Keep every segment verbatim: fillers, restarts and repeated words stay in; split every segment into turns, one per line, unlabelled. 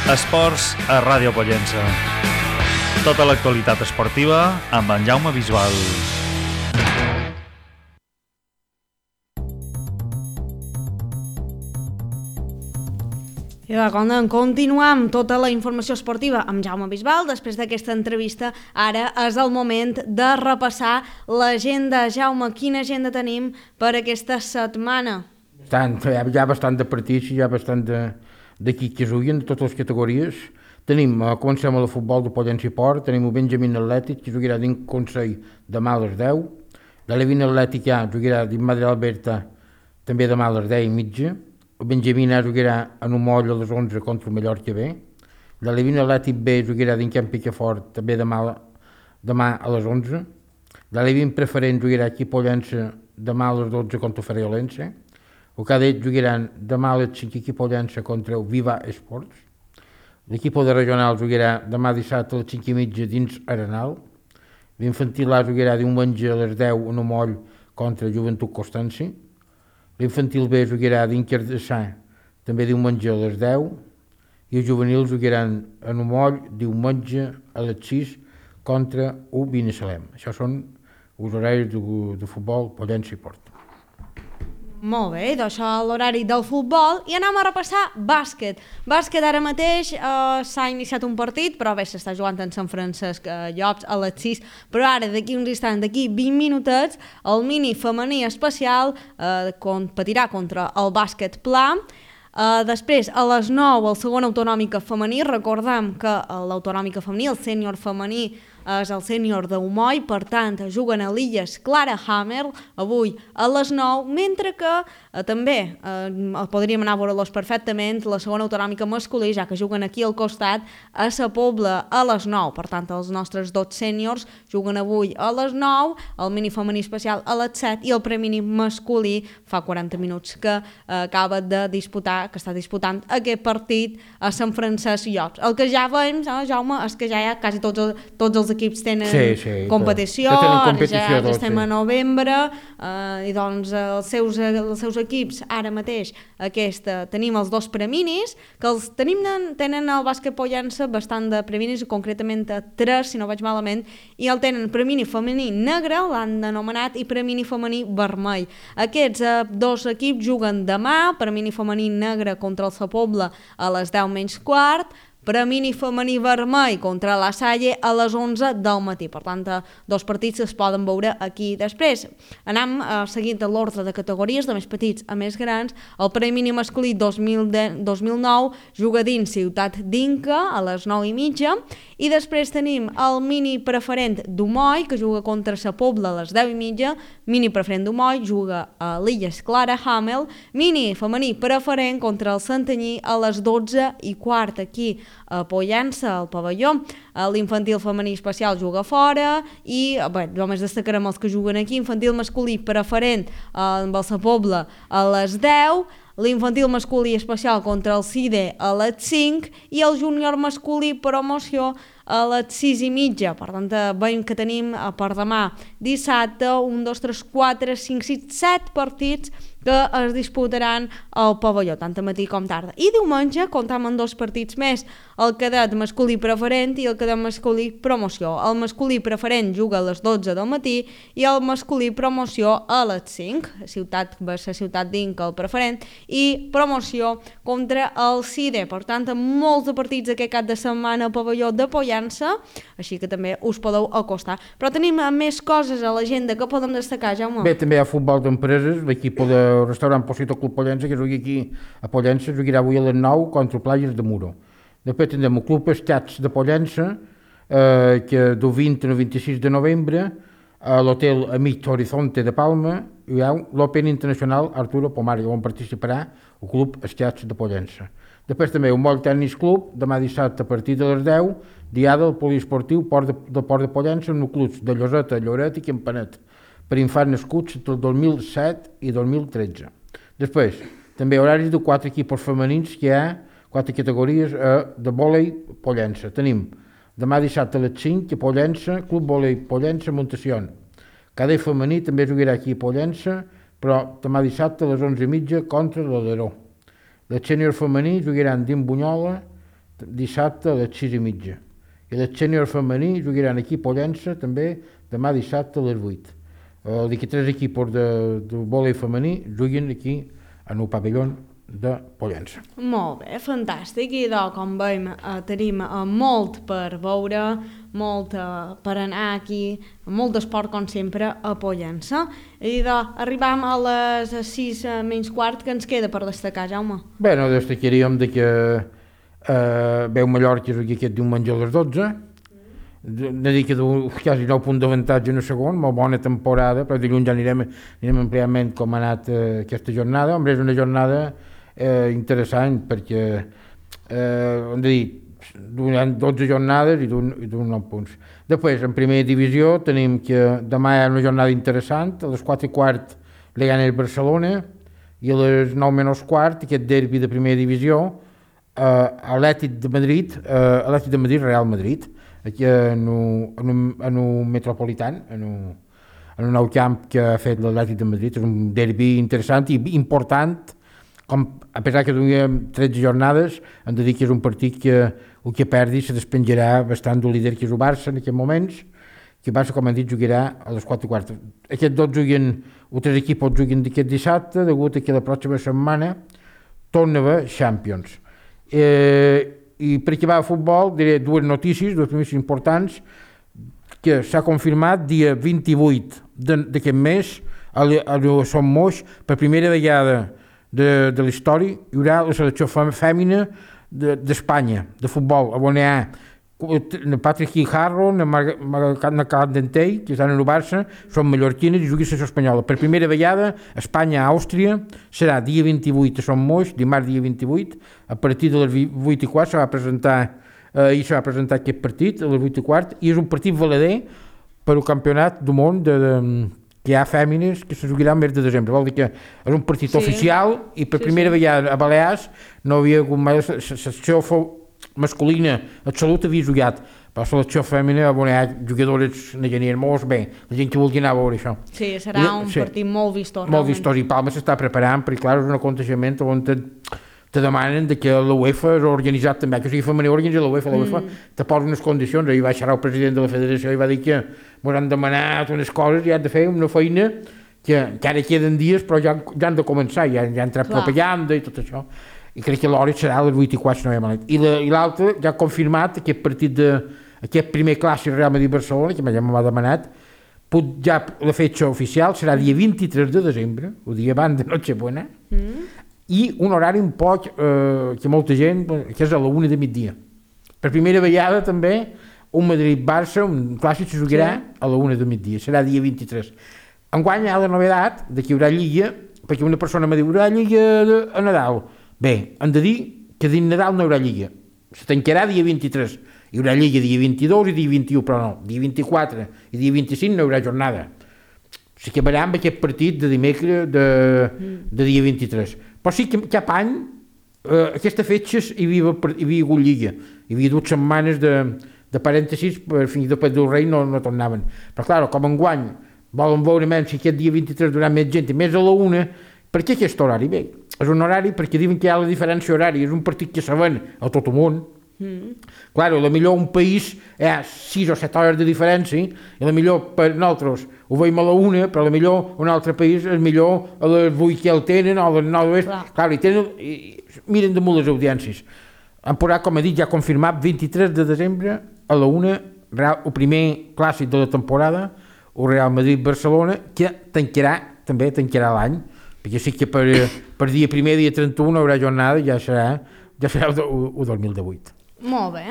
Esports a Ràdio Pollença. Tota l'actualitat esportiva amb en Jaume Bisbal.
I va, continuar amb tota la informació esportiva amb Jaume Bisbal. Després d'aquesta entrevista, ara és el moment de repassar l'agenda. Jaume, quina agenda tenim per aquesta setmana?
Tant, hi ha bastant de partits, hi ha bastant d'equips que juguen de totes les categories. Tenim, eh, comencem amb el futbol de Pollença i Port, tenim el Benjamín Atlètic, que jugarà dins Consell demà a les deu. L'Alevin Atlètic ja jugarà dins Madre Alberta, també demà a les deu i mitja. El Benjamín A jugarà en un moll a les onze contra el Mallorca B. L'Alevin Atlètic B jugarà dins Camp Picafort, també demà, demà a les onze. L'Alevin Preferent jugarà aquí a Pollença demà a les dotze contra el Ferriolense. El Cadet jugaran demà a les cinc aquí a Pollença contra el Viva Esports. L'equip de regional jugarà demà dissabte a les cinc i mitja dins Arenal. L'infantil A jugarà diumenge a les deu en un moll contra Joventut Constanci. L'infantil B jugarà dins Cardassà, també diumenge a les deu. I els juvenils jugaran en un moll diumenge a les sis contra el Binissalem. Això són els horaris de, de futbol Pollença i Port.
Molt bé, d'això l'horari del futbol, i anem a repassar bàsquet. Bàsquet ara mateix eh, s'ha iniciat un partit, però bé, s'està jugant en Sant Francesc eh, Llops a les sis, però ara d'aquí uns instants, d'aquí vint minutets, el mini femení especial eh, competirà contra el bàsquet pla. Uh, després, a les nou, el segon autonòmica femení. Recordem que l'autonòmica femení, el sènior femení, és el sènior d'Humoi, per tant, juguen a l'Illes Clara Hammer avui a les nou, mentre que eh, també eh, podríem anar a veure-los perfectament la segona autonòmica masculí, ja que juguen aquí al costat a Sa Pobla a les nou. Per tant, els nostres dos sèniors juguen avui a les nou, el mini femení especial a les set i el premini masculí fa quaranta minuts que eh, acaba de disputar, que està disputant aquest partit a Sant Francesc Llops. El que ja veiem, eh, Jaume, és que ja hi ha quasi tots, el, tots els equips tenen
sí, sí,
competició,
tenen competició
ara ja,
tots,
ja estem
sí.
a novembre, eh, i doncs els seus, els seus equips ara mateix aquesta, tenim els dos preminis, que els tenim, tenen el bàsquet Pollença bastant de preminis, concretament a tres, si no vaig malament, i el tenen premini femení negre, l'han anomenat, i premini femení vermell. Aquests eh, dos equips juguen demà, premini femení negre contra el Sa Pobla a les deu menys quart, premini femení vermell contra la Salle a les onze del matí. Per tant, dos partits es poden veure aquí. Després, anem eh, seguint l'ordre de categories, de més petits a més grans. El premini masculí dos mil nou juga dins Ciutat d'Inca a les nou i mitja, i després tenim el mini preferent d'Humoi, que juga contra Sa Pobla a les deu i mitja. Mini preferent d'Humoi juga a l'Illes Clara Hamel. Mini femení preferent contra el Santanyí a les dotze i quart aquí a Pollença, al pavelló. L'infantil femení especial juga fora, i bé, només destacarem els que juguen aquí. Infantil masculí preferent amb el Sa Pobla a les deu, l'infantil masculí especial contra el CIDE a les cinc i el júnior masculí promoció a les sis i mitja. Per tant, veiem que tenim per demà dissabte un, dos, tres, quatre, cinc, sis, set partits que es disputaran al pavelló, tant a matí com tarda. I diumenge comptam amb dos partits més, el cadet masculí preferent i el cadet masculí promoció. El masculí preferent juga a les dotze del matí i el masculí promoció a les cinc. Ciutat versus Ciutat d'Inca, el preferent, i promoció contra el CIDE. Per tant, molts de partits aquest cap de setmana al pavelló de Pollença, així que també us podeu acostar. Però tenim més coses a l'agenda que podem destacar, Jaume.
Bé, també hi ha futbol d'empreses, l'equip de el restaurant Posito Club Pollença, que jugui aquí a Pollença, jugarà avui a les nou contra Playas de Muro. Després tindrem el Club Estats de Pollença, eh, que del vint al vint-i-sis de novembre, a l'hotel Amic Horizonte de Palma, hi ha l'Open Internacional Arturo Pomares, on participarà el Club Estats de Pollença. Després també un Moll Tennis Club, demà dissabte a partir de les deu, diada al poliesportiu Port de, del Port de Pollença, amb clubs de Lloseta, Lloret i Campanet, per infants nascuts entre el dos mil set i dos mil tretze. Després, també horaris de quatre equips femenins, que hi ha quatre categories eh, de vòlei Pollença. Tenim demà dissabte a les cinc a Pollença, Club Vòlei Pollença Montación. Cadet femení també jugarà aquí a Pollença, però demà dissabte a les onze i mitja contra l'Aleró. Les sènior femení jugaran dins Bunyola dissabte a les sis i mitja. I les sènior femení jugaran aquí a Pollença també demà dissabte a les vuit. Els tres equips de, de vòlei femení juguen aquí en el pavelló de Pollença.
Molt bé, fantàstic, i de, com veiem eh, tenim eh, molt per veure, molt eh, per anar aquí, molt d'esport com sempre a Pollença, i de, arribam a les sis eh, menys quart, que ens queda per destacar, Jaume?
Bé, no destacaríem de que eh, veu Mallorca aquí aquest diumenge a les dotze, de dir que du quasi nou punts d'avantatge en el segon, molt bona temporada, però dilluns ja anirem, anirem ampliament com ha anat eh, aquesta jornada. Home, és una jornada eh, interessant perquè eh, hem de dir, durant dotze jornades i d'un nou punts. Després, en primera divisió, tenim que demà hi ha una jornada interessant, a les quatre i quart li gana el Barcelona i a les nou menys quart, aquest derbi de primera divisió, eh, Atlètic de Madrid, eh, Atlètic de Madrid, Real Madrid, aquí en un, en un, en un metropolitan, en un, en un nou camp que ha fet l'Atlètic de Madrid. És un derbi interessant i important, com, a pesar que duguem tretze jornades, hem de dir que és un partit que el que perdi se despenjarà bastant del líder que és el Barça en aquests moments, que el Barça, com hem dit, jugarà a les quatre i quart. Aquests dos juguen, els tres equips juguen d'aquest dissabte, degut a que la pròxima setmana torna a haver Champions. Eh, I per acabar el futbol diré dues notícies, dues notícies importants, que s'ha confirmat dia vint-i-vuit d'aquest mes a Son Moix, per primera vegada de, de la història, hi haurà la selecció fèmina d'Espanya, de, de futbol, on hi ha Patrick Guijarro, na Candentei, que estan en el Barça, són mallorquines i juguen a la espanyola. Per primera vegada, Espanya-Àustria serà dia vint-i-vuit a Son Moix, dimarts dia vint-i-vuit, a partir de les vuit i quart se va presentar, eh, i se va presentar aquest partit, a les vuit i quart, i és un partit valader per al campionat del món de, de, que hi ha fèmines que se jugarà el mes de desembre. Vol dir que és un partit sí. oficial i per sí, primera sí. vegada a Balears no havia hagut mai la secció masculina absoluta havia jugat, però la selecció femenina on hi ha jugadores n'hi molt bé, la gent que vulgui anar a veure això.
Sí, serà I, un sí, partit molt vistós.
Molt vistós, i Palma s'està preparant, perquè clar, és un aconteixement on te, te demanen de que la UEFA és organitzat també, que sigui femení organitza la UEFA, la UEFA mm. te posa unes condicions. Ahir va xerrar el president de la federació i va dir que m'hauran demanat unes coses i han de fer una feina que, que ara queden dies, però ja, ja han de començar, ja, ja han entrat propaganda i tot això. I crec que l'hora serà a les vuit i quart, no hi ha malament. I l'altre ja ha confirmat aquest partit de, aquest primer clàssic Real Madrid-Barcelona, que ja m'ha demanat, ja la fetge oficial serà dia vint-i-tres de desembre, el dia abans de Nochebuena, mm. i un horari un poc eh, que molta gent, que és a la una de migdia. Per primera vegada també un Madrid-Barça, un clàssic se jugarà sí. a la una de migdia, serà dia vint-i-tres. Enguany hi ha la novedat de que hi haurà lliga, perquè una persona m'ha dit, hi haurà lliga de, a Nadal. Bé, hem de dir que dins Nadal no hi haurà lliga, se tancarà dia vint-i-tres, hi haurà lliga dia vint-i-dos i dia vint-i-u, però no, dia vint-i-quatre i dia vint-i-cinc no hi haurà jornada. S'acabarà amb aquest partit de dimecres de, de dia vint-i-tres. Però sí que cap any, eh, aquesta fetge hi havia, hi havia hagut lliga, hi havia dues setmanes de, de parèntesis, per fins després del rei no, no tornaven. Però clar, com enguany volen veure menys si aquest dia vint-i-tres durà més gent i més a la una, per què aquest horari? Bé, és un horari perquè diuen que hi ha la diferència horària, és un partit que se ven a tot el món. Mm. Clar, a la millor un país hi ha sis o set hores de diferència, i a la millor per nosaltres ho veiem a la una, però a la millor un altre país és millor a les vuit que el tenen, o a les nou de l'oest. Clar, i tenen, i miren damunt les audiències. Han posat, com he dit, ja confirmat, vint-i-tres de desembre a la una, el primer clàssic de la temporada, el Real Madrid-Barcelona, que tancarà, també tancarà l'any, perquè sí que per, per dia primer, dia trenta-u no hi haurà jornada, ja serà, ja serà el, el dos mil divuit.
Molt bé.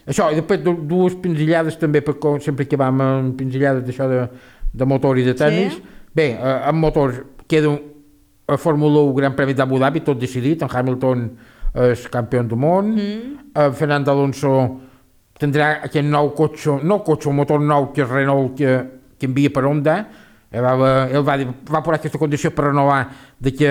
Això, i després dues pinzellades també, perquè sempre que vam amb pinzellades d'això de, de motor i de tenis. Sí. Bé, eh, amb motors queda a Fórmula un Gran Premi d'Abu Dhabi, tot decidit, en Hamilton és campió del món, mm. eh, Fernando Alonso tindrà aquest nou cotxe, no cotxe, un motor nou que és Renault que, que envia per Honda. Ell va, ell va, va posar aquesta condició per renovar de que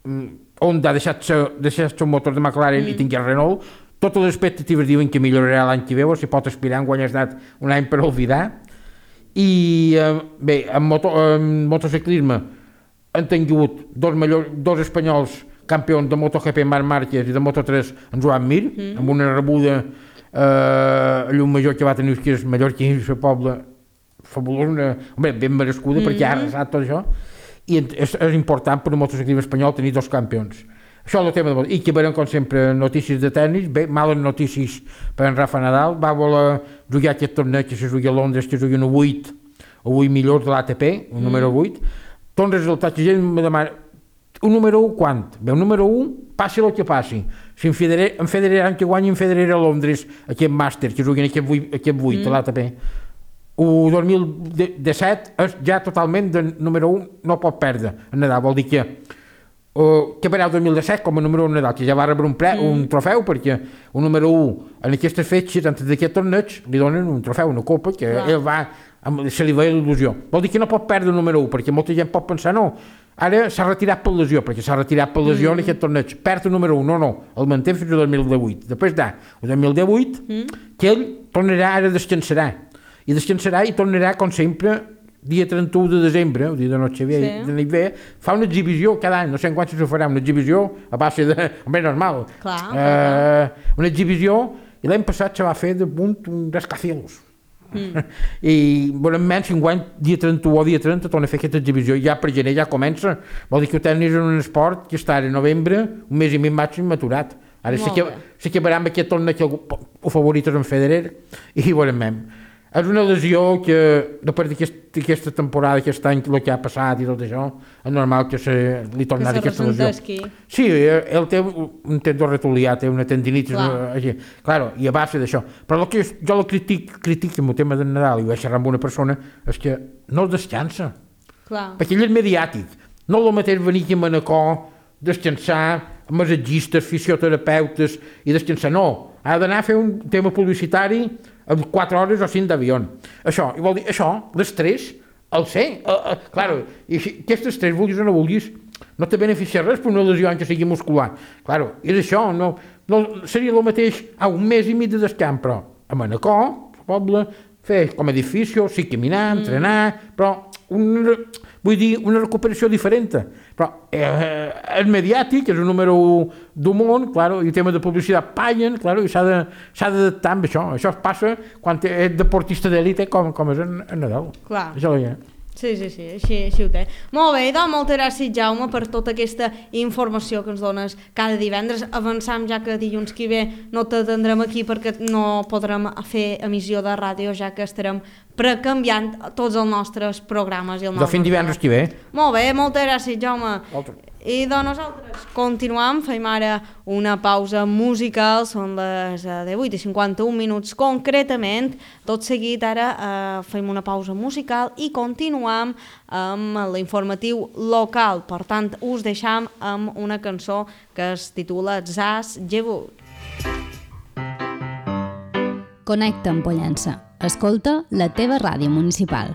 um, Honda ha deixat el motor de McLaren mm. i tingui el Renault. Totes les expectatives diuen que millorarà l'any que ve, o si pot aspirar, enguany ha estat un any per oblidar. I eh, bé, en, moto, en motociclisme han tingut dos, major, dos espanyols campions de MotoGP Marc Márquez i de Moto tres en Joan Mir, mm. amb una rebuda eh, a llum major que va tenir que és mallorquí i el poble fabulós, una, home, ben merescuda, mm. perquè ha arrasat tot això, i és, és important per un motociclisme espanyol tenir dos campions. Això és el tema de... I que veurem, com sempre, notícies de tennis, bé, males notícies per en Rafa Nadal, va voler jugar aquest torneig que se jugui a Londres, que jugui un vuit, o vuit millors de l'A T P, un mm. número vuit, tots els resultats que gent me demana, un número un quant? Bé, un número un, passi el que passi. Si en Federer, en Federer, en que guanyi en Federer a Londres, aquest màster, que juguin aquest vuit, aquest vuit mm. a l'A T P, el dos mil disset és ja totalment de número un, no pot perdre en Nadal, vol dir que uh, que per el dos mil disset com a número un Nadal, que ja va rebre un, pre, mm. un trofeu, perquè un número un en aquestes fetges, antes d'aquest torneig, li donen un trofeu, una copa, que wow. ell va, se li veia l'il·lusió. Vol dir que no pot perdre el número un, perquè molta gent pot pensar, no, ara s'ha retirat per lesió, perquè s'ha retirat per lesió mm. en aquest torneig, perd el número un, no, no, el manté fins al dos mil divuit. Després d'ah, el dos mil divuit, mm. que ell tornarà, ara descansarà, i descansarà i tornarà, com sempre, dia trenta-u de desembre, el dia de Nochevieja, sí. de Nivea, fa una exhibició cada any, no sé en quants se farà, una exhibició a base de... Home, normal.
Clar,
uh, clar. Una exhibició, i l'any passat se va fer de punt un rascacielos. Mm. I, bueno, menys, enguany, dia trenta-u o dia trenta, torna a fer aquesta exhibició, i ja per gener ja comença. Vol dir que el tennis és un esport que està a novembre, un mes i mig màxim maturat. Ara sí que, sí que veurem aquest torneig que el favorit és en Federer, i veurem. És una lesió que, després d'aquesta temporada, aquest any, el que ha passat i tot això, és normal que se li tornarà aquesta lesió. Sí, ell té un tendó retulià, té una tendinitis, així, claro, i a base d'això. Però el que jo el critic, critic amb el tema del Nadal, i vaig xerrar amb una persona, és que no el descansa. Clar. Perquè ell és mediàtic. No és el mateix venir aquí a Manacor, descansar, massatgistes, fisioterapeutes, i descansar, no. Ha d'anar a fer un tema publicitari amb quatre hores o cinc d'avió. Això, i vol dir, això, l'estrès, el sé, uh, uh, claro, i si aquest estrès, vulguis o no vulguis, no te beneficia res per una lesió que sigui muscular. Claro, és això, no, no seria el mateix a un mes i mig de descans, però a Manacor, al poble, fer com a edifici, sí, caminar, entrenar, mm. però un, vull dir, una recuperació diferent. Però eh, el mediàtic és un número d'un món, claro, i el tema de publicitat paguen, claro, i s'ha d'adaptar amb això. Això passa quan és deportista d'élite com, com és en, en Nadal. Clar. Això ja.
Sí, sí, sí, així, així ho té. Molt bé, doncs moltes gràcies, Jaume, per tota aquesta informació que ens dones cada divendres. Avançam ja que dilluns que ve no t'atendrem aquí perquè no podrem fer emissió de ràdio, ja que estarem precanviant tots els nostres programes. I el
de fin divendres que ve.
Molt bé, moltes gràcies, Jaume. Moltes. I doncs nosaltres continuem, fem ara una pausa musical, són les divuit i cinquanta-un minuts concretament. Tot seguit ara eh, fem una pausa musical i continuem amb l'informatiu local. Per tant, us deixam amb una cançó que es titula Zas Jebut.
Connecta amb Pollença. Escolta la teva ràdio municipal.